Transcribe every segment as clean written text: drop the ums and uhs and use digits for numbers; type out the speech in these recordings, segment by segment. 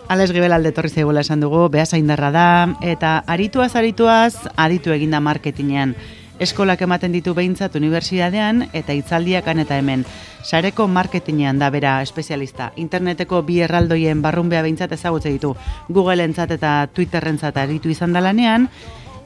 Ales Gibelalde etorri zaigula esan dugu, behasaindarra da, eta arituaz, aditu eginda marketinean. Eskolak ematen ditu behintzat unibertsitatean, eta hitzaldiak han eta hemen. Sareko marketinean da bera espezialista. Interneteko bi erraldoien barrunbea behintzat ezagutze ditu. Google-entzat eta Twitter-entzat aritu izan da lanean,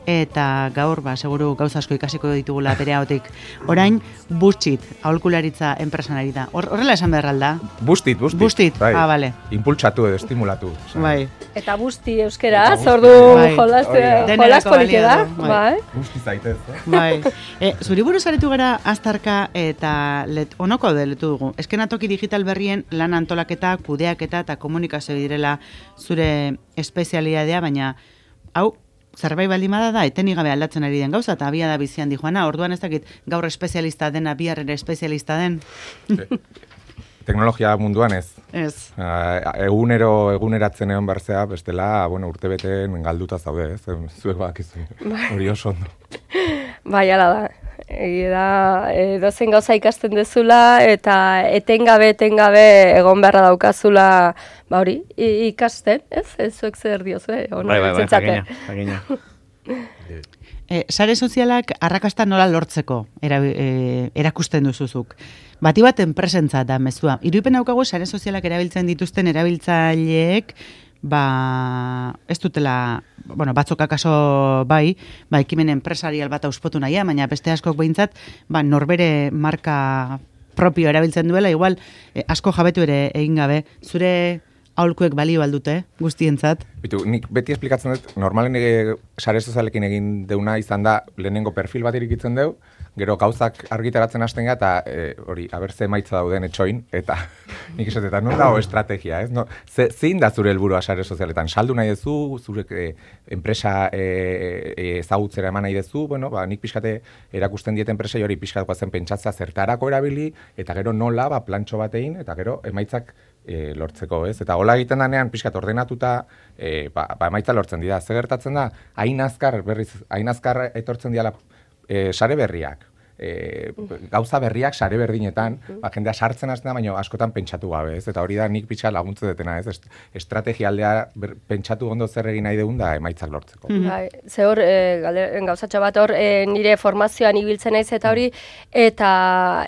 eta gaur, seguru gauza asko ikasiko ditugula bere ahotik. Orain, Bustit, aholkularitza enpresan ari da. Horrela esan behar alda? Bustit. Bustit, bai. Bale. Impultsatu edo estimulatu. Bai. Eta busti euskera, zordu jolas polike da. Bai. Busti zaitez, Bai. Zuri buruz aretu gara aztarka eta onoko deletu dugu. Eskenatoki digital berrien lan antolaketa, kudeaketa eta komunikazio direla zure espezialidadea, baina hau, zerbait baldin da, etenik gabe aldatzen ari den gauza, eta abia da bizian di joana, orduan ez dakit gaur espezialista dena, bihar ere espezialista den. Teknologia munduan ez. Ez. Eguneratzen egon berzea, bestela, urtebeten galduta zaude, ez? Zuek bakizu. Hori oso ondo. Bai, ala da. Dozen gauza ikasten dezula, eta etengabe egon beharra daukazula, hori, ikasten, ez? Ez zuek zer diozue, Bai, jakina. Sare sozialak arrakasta nola lortzeko erakusten duzuzuk. Bati bat enpresentza da mezua. Irudipen daukagu sare sozialak erabiltzen dituzten erabiltzaileek, ez dutela, batzuk akaso bai, ekimen enpresarial bat auspotu nahia, baina beste askok behintzat, norbere marka propio erabiltzen duela, igual asko jabetu ere egin gabe, zure aholkuek balio aldute, guztientzat. Nik beti esplikatzen dut, normalen sare sozialekin egin deuna izan da, lehenengo perfil bat irikitzen deu, gero gauzak argitaratzen hasten gara, eta hori, abertze emaitza dauden etxoin, eta nik esatetan, non dago estrategia, ez? Zein da zure helburua sare sozialetan? Saldu nahi dezu, zure enpresa ezagutzera eman nahi dezu, nik pixkate erakusten diet enpresai hori pixkatkoa zen pentsatzea zertarako erabili, eta gero nola, plantxo batein, eta gero emaitzak lortzeko, ez? Eta hola egiten danean pixkat ordenatuta, emaitza lortzen dira. Zer gertatzen da, hain azkar etortzen diala sare berriak. Gauza berriak sare berdinetan, jendea sartzen hasten da, baina askotan pentsatu gabe, ez? Eta hori da nik pixka laguntzen detena, ez? Estrategia aldea pentsatu ondo zer egin nahi dugun da emaitzak lortzeko. Ze hor, gauzatxo bat hor, nire formazioan ibiltzen naiz eta hori, eta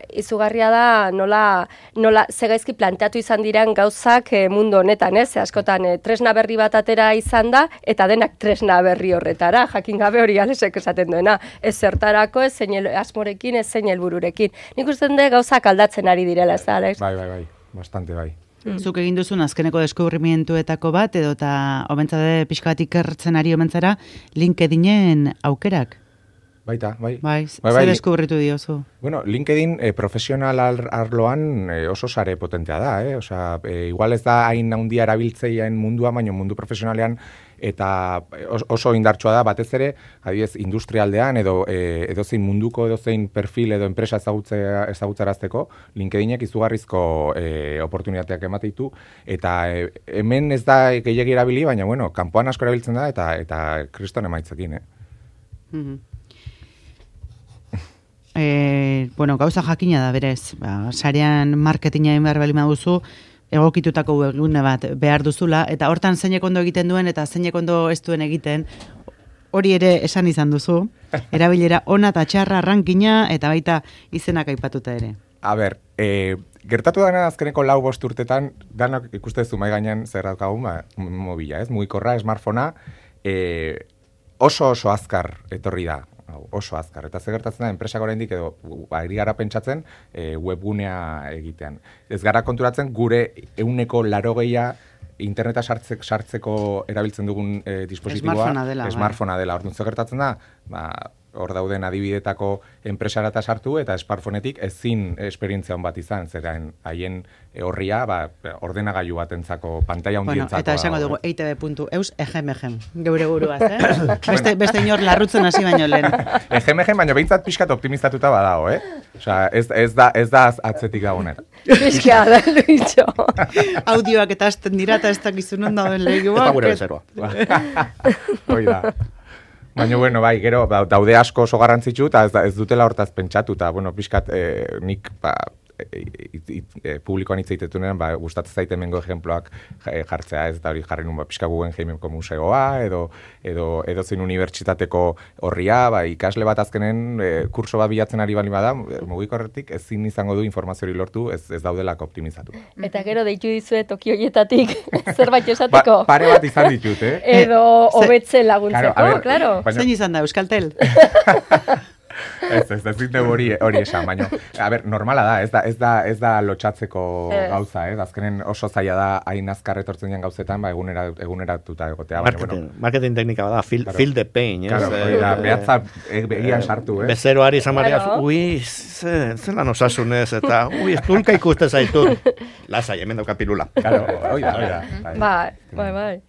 izugarria da nola zegaizki planteatu izan diran gauzak mundu honetan, ez? Askotan tresna berri bat atera izan da, eta denak tresna berri horretara, jakin gabe hori Alesek esaten duena, ez zertarako, ez zein asmorekin, ez zein helbururekin. Nik uste dut gauzak aldatzen ari direla, ez da, Alex? Bai, bastante bai. Zuk egin duzun azkeneko deskubrimientuetako bat, edo eta omentzade pixka bat ikertzen ari omentzara, LinkedInen aukerak? Baita, bai. Zer deskubritu diozu? LinkedIn profesional arloan oso sare potentea da, Osea, igual ez da hain handia erabiltzaileen mundua, baina mundu profesionalean eta oso indartsua da, batez ere, adibidez, industrialdean edozein munduko edozein perfil edo enpresa ezagutzarazteko, LinkedInek izugarrizko oportunitateak ematen ditu, eta hemen ez da gehiegi erabili, baina, kanpoan asko erabiltzen da, eta kriston emaitzekin, gauza jakina da berez, sarean marketinga egin behar balima duzu, egokitutako webgune bat behar duzula, eta hortan zeinek ondo egiten duen eta zeinek ondo ez duen egiten, hori ere esan izan duzu, erabilera ona eta txarra rankina, eta baita izenak aipatuta ere. A ber, gertatu dena azkeneko 4-5 urtetan, danak ikustezu mai gainean zer daukagun, mobila, ez? Mugikorra, smartphonea, oso azkar etorri da. Oso azkar. Eta zer gertatzen da, enpresak oraindik edo ari gara pentsatzen webgunea egitean. Ez gara konturatzen gure 80% interneta sartzeko erabiltzen dugun dispositiboa smartphonea dela. Orduan zer gertatzen da, hor dauden adibidetako enpresarata sartu eta smartphonetik ezin esperientzia on bat izan, zeren haien horria ordenagailu batentzako pantaila handientzako. Eta esango dugu eitb.eus egem, geure buruaz, Beste inor larrutzen hasi baino lehen. Egem, baina behintzat pixkat optimistatuta badago, Osea, ez da atzetik dagoen. Pixka, da, Luitxo. Audioak eta azten dira eta ez dakizunen dauden lehioak. Ez da gure bezeroa. Hoi da. Baina, bai, gero, daude asko oso garrantzitsu, eta ez dutela hortaz pentsatu, eta, pixkat, nik, publikoan hitz egitetunean, gustatzen zaite hemengo ejemploak jartzea, ez, eta hori jarri nun, pixka Guggenheimeko museoa, edo zein unibertsitateko horria, ikasle bat azkenen kurso bat bilatzen ari bali bada, mugikorretik ezin izango du informazio hori lortu, ez daudelako optimizatu. Eta gero deitu dizue toki horietatik zerbait esateko. Pare bat izan ditut, Edo hobetzen laguntzeko, claro. Zein izan da, Euskaltel? Ez dute hori esan, baina, normala da, ez da lotxatzeko gauza, azkenen oso zaila da hain azkar etortzen dian gauzetan, eguneratuta egotea. Marketing teknika da, feel the pain, behatza begian sartu, Bezeroari izan maria, zelan osasunez, eta, estulka ikusten zaitu. Lasai, hemen dauka pilula. Bai.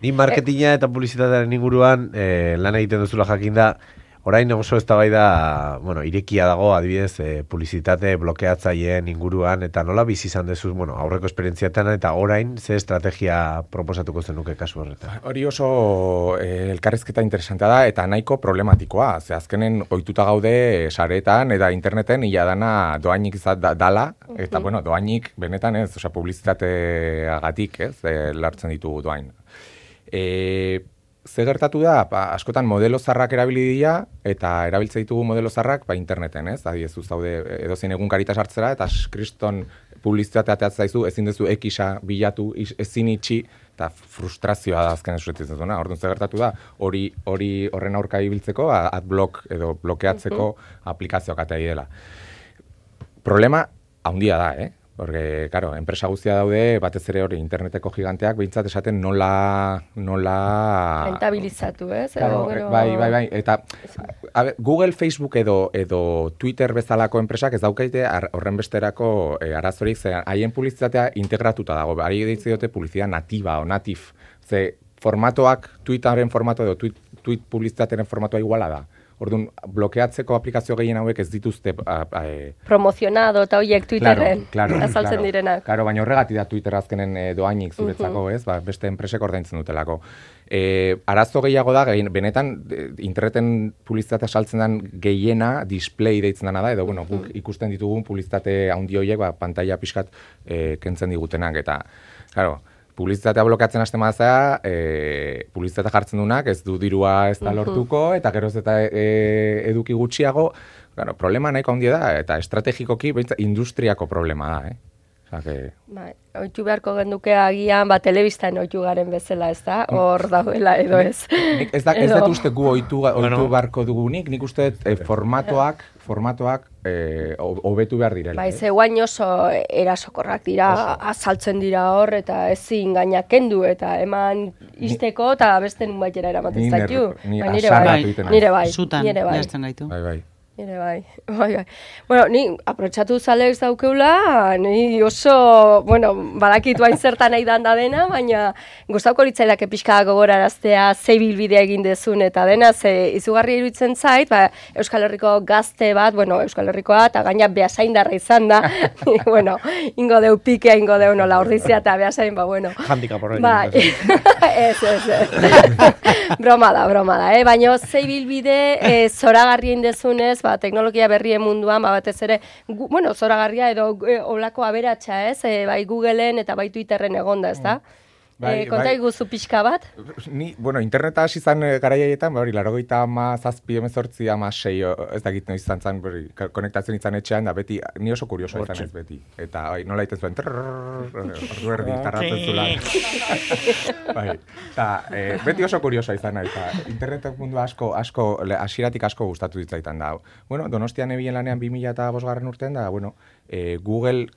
Ni marketinga eta publizitatearen inguruan lan egiten duzula jakinda, orain oso eztabaida, irekia dago, adibidez, publizitate blokeatzaileen inguruan, eta nola bizi izan dezuz, aurreko esperientziatan, eta orain ze estrategia proposatuko zenuke kasu horretan? Hori oso elkarrizketa interesantea da, eta nahiko problematikoa. Ze azkenen ohituta gaude saretan eta interneten ia dana doainik dala, eta doainik benetan ez, publizitateagatik, ez, lartzen ditugu doain. Ze gertatu da, askotan modelo zarrak erabili dira, eta erabiltze ditugu modelo zarrak interneten, ez? Adibidez, zaude edozein egunkarita sartzera, eta kriston publizitatea ateatzen zaizu, ezin dezu ekisa bilatu, ezin itxi, eta frustrazioa da azken esuretzen zutuna. Orduan, ze gertatu da, horren aurka ibiltzeko, adblock edo blokeatzeko aplikazioak atea dela. Problema haundia da, Porque, claro, enpresa guztia daude, batez ere hori interneteko giganteak, behintzat esaten nola... Rentabilizatu, ez? Claro, bai. Eta Google, Facebook edo Twitter bezalako enpresak ez daukaite horren besterako arazorik, ze haien publizitatea integratuta dago. Ari deitze dute publizitate natiba o natif. Ze formatoak, Twitterren formato edo tweet publizitatearen formatoa iguala da. Orduan, blokeatzeko aplikazio gehien hauek ez dituzte... promozionado eta horiek Twitterren azaltzen direnak. Claro, baina horregatik da Twitter azkenen doainik zuretzako, ez? Beste enpresek ordaintzen dutelako. Arazo gehiago da, benetan interneten publizitatea saltzen den gehiena display deitzen dena da, edo guk ikusten ditugun publizitate handi horiek pantalla pixkat kentzen digutenak, eta, claro, publizitatea blokeatzen hasten bazea, publizitatea jartzen dunak, ez du dirua ez da lortuko, eta geroz eta eduki gutxiago, problema nahiko handia da, eta estrategikoki industriako problema da, Oitu beharko genduke agian, telebistan oitu garen bezala, ez da? Hor dauela edo ez. Ez dut uste gu oitu beharko dugunik, nik uste formatoak hobetu behar direla. Bai, ze guain oso erasokorrak dira, azaltzen dira hor, eta ezin gainak kendu, eta eman izteko, eta beste nun baitera eramaten zaitu. Nire bai. Zutan, jazten gaitu. Bai. Nire bai. Bueno, ni aprotxatu zalex daukeula, ni oso, badakitu hain zertan nahi da dena, baina gustauko litzaidake pixka gogoraraztea ze bilbidea egin dezun eta dena, ze izugarri iruditzen zait, Euskal Herriko gazte bat, Euskal Herrikoa, eta gaina beasaindarra izan da, ingo deu pikea, ingo deu nola ordizia, eta beasain, Handicap horrein. Ez. Broma da, baina ze bilbide zoragarri indezunez, teknologia berrien munduan, batez ere, zoragarria edo olako aberatsa, ez? Bai Googleen eta bai Twitterren egonda, ez da? Konta iguzu pixka bat? Ni, interneta hasi zan garaiaietan, 87, 18, 16, ez dakit noiz izan zan, konektatzen izan etxean, da beti, ni oso kurioso izan ez beti. Eta nola egiten zuen, ordu erdi, tarratzen zulan. Beti oso kurioso izan, eta internetek mundu asko, hasieratik asko gustatu ditzaitan da. Donostian ebien lanean 2005 urtean, da, Google,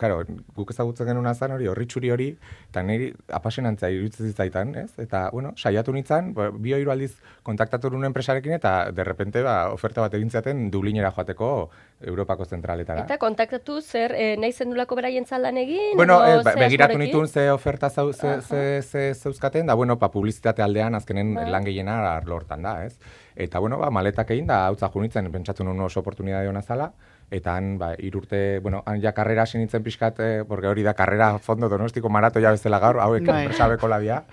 guk ezagutzen genuna zan hori, horritxuri hori, eta niri apasionantzia iruditzen zitzaitan, ez? Eta, saiatu nintzen, 2-3 aldiz kontaktatu nuen enpresarekin, eta derrepente, oferta bat egintzaten Dublinera joateko Europako zentraletara. Eta kontaktatu zer, nahi zendulako beraien lan egin? Begiratu nituen ze oferta zeuzkaten, da, publizitate aldean azkenen lan gehiena lortan da, ez? Eta, maletak egin, da, hautza junitzen, pentsatu nuen oso oportunidade hona zala, eta han, 3 urte, han ja karrera hasi nintzen pixkat, porque hori da karrera fondo donostiko maratoia bezala gaur, hauek enpresabeko labia.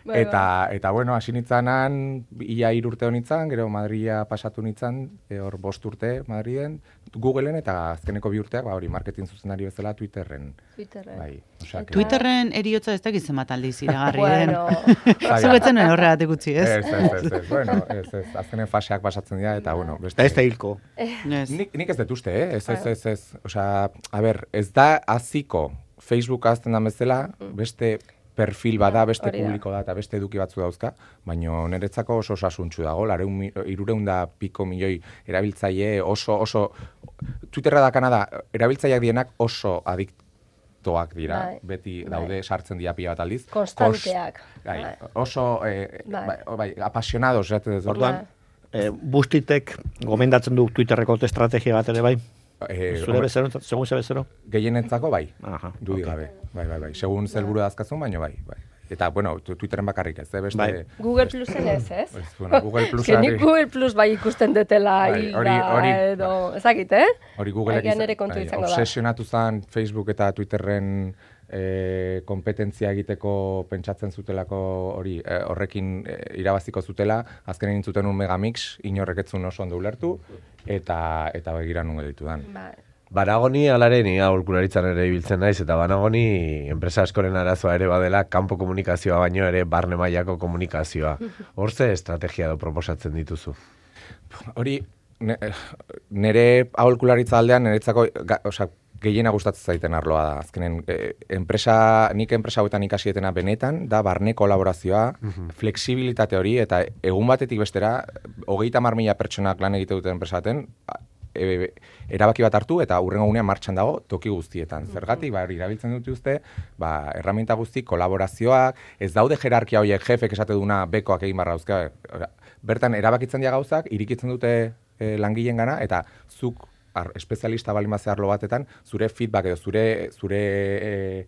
Eta, hasi nintzen han, ia 3 urte honitzen, gero Madria pasatu nintzen, hor 5 urte Madriden, Googleen eta azkeneko bi urteak, hori marketing zuzendari bezala Twitterren. Bai, Twitterren eriotza ez dakiz zenbat aldiz iragarri den. Zuetzen horregatik utzi, ez? Ez. Bueno, ez. Azkenen faseak pasatzen dira eta, bueno, beste... Ez da hilko. Nik ez dut uste, ez. Osea, a ber, ez da aziko Facebook azten da bezala, beste perfil bada, beste publiko da, eta beste eduki batzu dauzka, baina niretzako oso osasuntxu dago, 300 milioi erabiltzaile oso Twitterra dakana da, erabiltzaileak dienak oso adiktoak dira, beti daude sartzen dira pila bat aldiz. Konstanteak. Oso, apasionados, orduan, Bustitek gomendatzen du Twitterreko estrategia bat ere bai? Zure bezero, segun ze bezero? Gehienetzako bai, dudik gabe. Bai. Segun zelburu dazkazun, baino bai. Eta, bueno, Twitteren bakarrik ez, beste... Bai. Google Plusen ez? Google Plus... Nik Google Plus bai ikusten detela edo... Ezakit, Hori Googleek obsesionatu zen Facebook eta Twitterren kompetentzia egiteko pentsatzen zutelako hori horrekin irabaziko zutela, azkenen intzuten un megamix, inorreketzun oso ondo ulertu, eta begira nun editu dan. Banagoni alareni aholkularitzan ere ibiltzen naiz, eta banagoni enpresa askoren arazoa ere badela kanpo komunikazioa baino ere barne mailako komunikazioa. Hor ze estrategia do proposatzen dituzu? Hori, nire aholkularitza aldean, niretzako, gehiena gustatzen zaiten arloa da. Azkenen, nik enpresa hauetan ikasietena benetan, da barne kolaborazioa, flexibilitate hori, eta egun batetik bestera, 30.000 pertsonak lan egite duten enpresaten, erabaki bat hartu eta hurrengo gunean martxan dago toki guztietan. Zergatik, irabiltzen dute uste, herramienta guzti, kolaborazioak, ez daude jerarkia horiek jefek esate duna bekoak egin barra dauzka. Bertan, erabakitzen dira gauzak, irikitzen dute langileen gana, eta zuk espezialista balimazea arlo batetan, zure feedback edo zure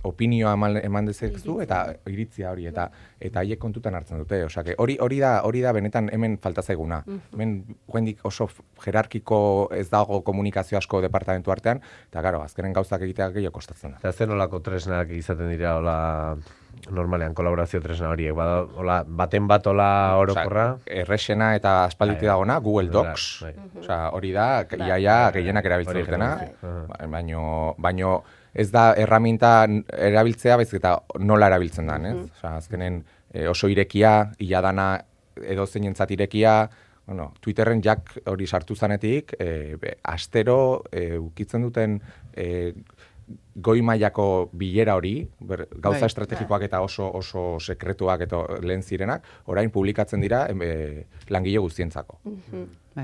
opinioa eman dezezu eta iritzia hori eta haiek kontutan hartzen dute. Osea, hori da benetan hemen falta zaiguna. Hemen jendik oso jerarkiko ez dago komunikazio asko departamentu artean, eta gero, azkenen gauzak egiteak gehiago kostatzen da. Eta zen olako tresnak izaten dira, normalean kolaborazio tresna horiek, baten bat orokorra? Errexena eta aspalditi dagona, Google Docs. Hori da, iaia gehienak erabiltzen dutena, baino ez da erraminta erabiltzea, baizik eta nola erabiltzen den, ez? Azkenen oso irekia, iladana edo zeinentzat irekia, Twitterren jak hori sartu zanetik, astero ukitzen duten goi mailako bilera hori, gauza estrategikoak eta oso sekretuak eta lehen zirenak, orain publikatzen dira langile guztientzako.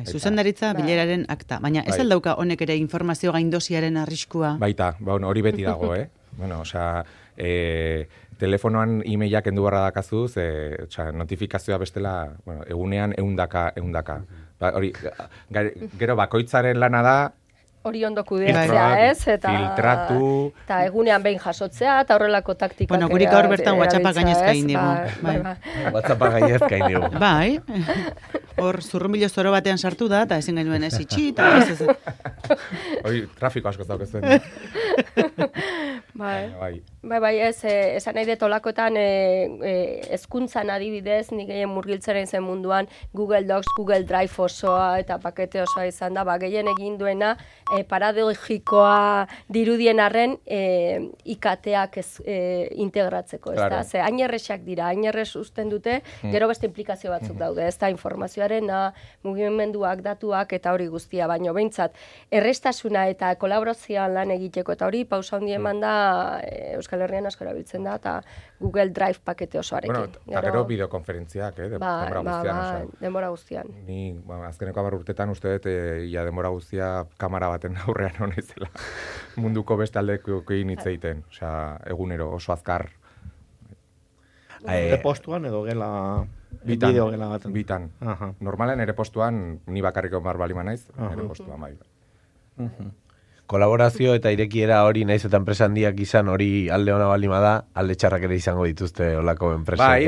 Zuzendaritza bileraren akta, baina ez aldauka honek ere informazio gaindosiaren arriskua? Baita, hori beti dago, telefonoan e-mailak endu barra dakazuz, notifikazioa bestela, egunean eundaka. Gero bakoitzaren lana da, hori ondo kudeatzea, ez? Filtratu. Eta egunean behin jasotzea, eta horrelako taktikak. Bueno, gurik gaur bertan WhatsAppa gainezka indigu. WhatsAppa gainezka indigu. Bai. Hor, zurrunbilo zoro batean sartu da, eta ezin genuen ez itxi, eta ez. Hori, trafiko asko zaukezen. Bai, esan nahi detolakoetan hezkuntzan adibidez, nik gehien murgiltzaren zen munduan, Google Docs, Google Drive osoa eta pakete osoa izan da, gehien egin duena paradogikoa dirudien arren IKT-ak integratzeko, ez da? Ze hain erresak dira, hain errez usten dute, gero beste implikazio batzuk daude, ez da, informazioaren, mugimenduak, datuak eta hori guztia, baino behintzat, errestasuna eta kolaborazioan lan egiteko eta hori pausa handi eman da Euskal Herrian asko erabiltzen da, eta Google Drive pakete osoarekin. Eta gero bideokonferentziak, denbora guztian. Ni, azkeneko 10 urtetan uste dut, denbora guztia kamara baten aurrean honezela. Munduko beste aldekoekin hitz egiten. Osea, egunero, oso azkar. Ere postuan edo gela... Bideo gela baten? Bitan. Normalen ere postuan, ni bakarriko baliman naiz, ere postuan bai. Kolaborazio eta irekiera hori naiz eta enpresa handiak izan hori alde ona balima da, alde txarrak ere izango dituzte olako enpresa. Bai,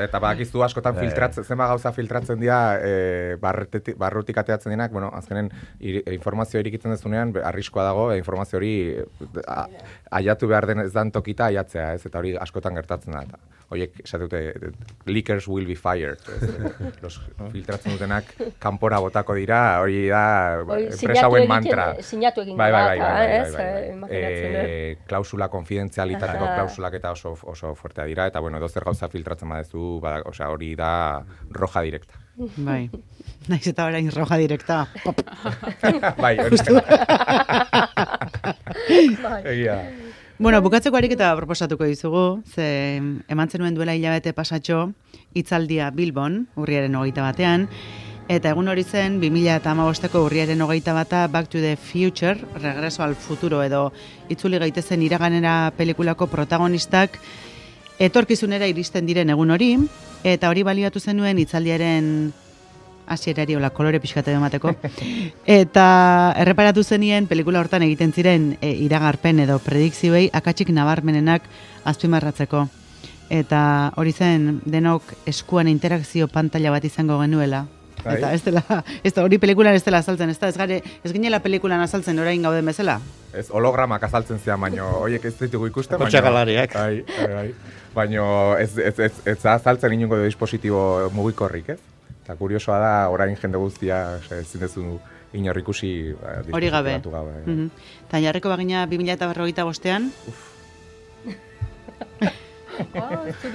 eta bakizu askotan filtratzen, zenba gauza filtratzen dira barrutik ateatzen dinak, azkenen informazio irikitzen dezunean, arriskoa dago, informazio hori aiatu behar den ez dan tokita aiatzea, ez, eta hori askotan gertatzen da. oiek, esatute, leakers will be fired. Los filtratzen dutenak kanpora botako dira, hori da enpresa hauen mantra. Sinatu egin klausula konfidentzialitateko klausulak eta oso fuertea dira, eta bueno, dozer gauza filtratzen badezu, hori da roja direkta. Bai, naiz eta orain roja direkta. Bai, egia. Bueno, bukatzeko ariketa proposatuko dizugu, ze eman zenuen duela hilabete pasatxo, hitzaldia Bilbon, urriaren 21, eta egun hori zen 2015ko urriaren 21 Back to the Future, Regreso al Futuro edo itzuli gaitezen iraganera pelikulako protagonistak etorkizunera iristen diren egun hori, eta hori baliatu zenuen hitzaldiaren hasierari hola kolore pixkate emateko. Eta erreparatu zenien pelikula hortan egiten ziren iragarpen edo predikzioei akatsik nabarmenenak azpimarratzeko. Eta hori zen denok eskuan interakzio pantalla bat izango genuela. Eta ez da hori pelikulan ez dela azaltzen, ez ginela pelikulan azaltzen orain gauden bezala. Ez hologramak azaltzen zian, baino horiek ez ditugu ikusten, Kotxakalariak. Baino ez azaltzen inongo dispositibo mugikorrik, ez? Eta kuriosoa da, orain jende guztia ezin dezu inor ikusi hori gabe. Eta jarriko bagina 2045ean?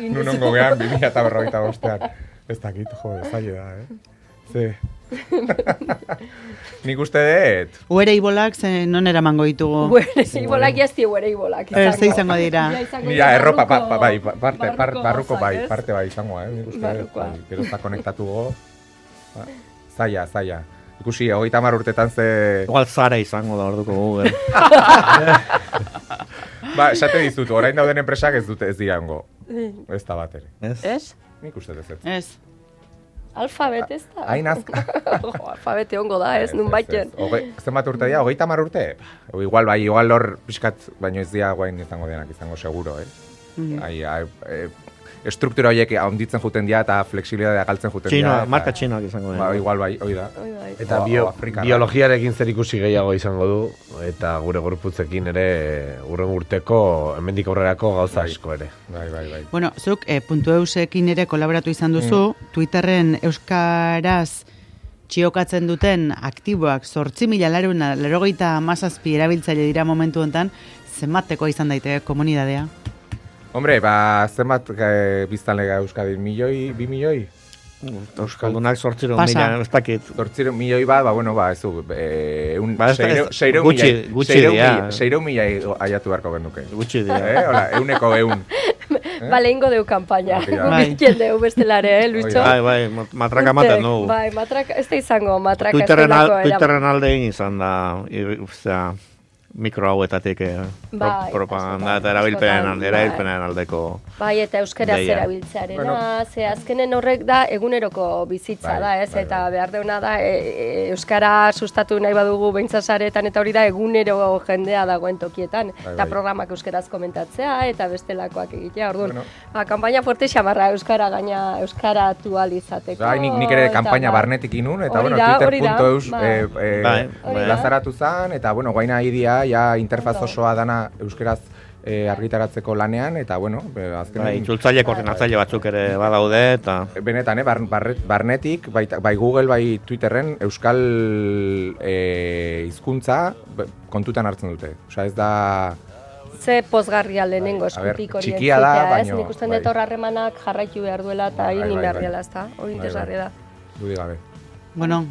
Nunongo gehan 2045ean. Ez dakit, zaila da, Ze. Nik uste dut. Uere ibolak non eramango ditugu? Uere ibolak jazti uere ibolak. Ze izango dira. Mira, erropa, barruko parte bai izango, nik uste dut. Gero eta konektatu go. Zaila. Ikusi, 30 urtetan ze... Igual Zara izango da orduko Google. Esate dizut, orain dauden enpresak ez dute ez dirango. Ez da bat ere. Ez? Nik uste dut. Ez. Alfabet ez da? Alfabete ongo da, ez, nun baiten. Zenbat urte dira, 30 urte? Igual hor pixkat, baino ez dira guain izango denak, izango seguro, estruktura horiek handitzen juten dira eta flexibilitatea galtzen juten dira. Marka txinoak izango dira. Igual bai, hoi da. Eta biologiarekin zer ikusi gehiago izango du, eta gure gorputzekin ere urren urteko, hemendik aurrerako gauza asko ere. Bai. Bueno, zuk .eusekin ere kolaboratu izan duzu, Twitterren euskaraz txiokatzen duten aktiboak 8.487 erabiltzaile dira momentu honetan, zenbateko izan daiteke komunidadea? Hombre, zenbat biztanlega Euskadin, 2 milioi? Euskaldunak 800 mila, ez dakit. 800 milioi bat, ez du, 600 mila aiatu beharko genuke. Gutxi dira. Hola, 100. Bale, ingo deu kampaina. Gukitien deu bestelare, Lucho? Bai, matraka maten dugu. Bai, matraka, ez da izango, matraka estelako Twitterren alde egin izan da, mikro hauetatik propaganda eta erabilpenen aldeko. Bai, eta euskaraz erabiltzearena, ze azkenen horrek da eguneroko bizitza da, ez? Eta behar deuna da, euskara sustatu nahi badugu beintzasaretan, eta hori da egunero jendea dagoen tokietan. Eta programak euskaraz komentatzea, eta bestelakoak egitea. Orduan, kanpaina fuerte xamarra euskara atualizateko. Nik ere kanpaina barnetik inun, eta Twitter.eus lazaratu zan, eta guaina idia, interfaz osoa dana euskeraz argitaratzeko lanean, eta azkenean... Itzultzaile koordinatzaile batzuk ere badaude, eta... Benetan, barnetik, bai Google, bai Twitterren, euskal hizkuntza kontutan hartzen dute. Osea, ez da... Ze pozgarria lehenengo eskutik hori txikia da, baina... Nik usten dut harremanak jarraitu behar duela, eta egin behar dela, ez da? Hori interesgarria da. Dudi gabe. Bueno,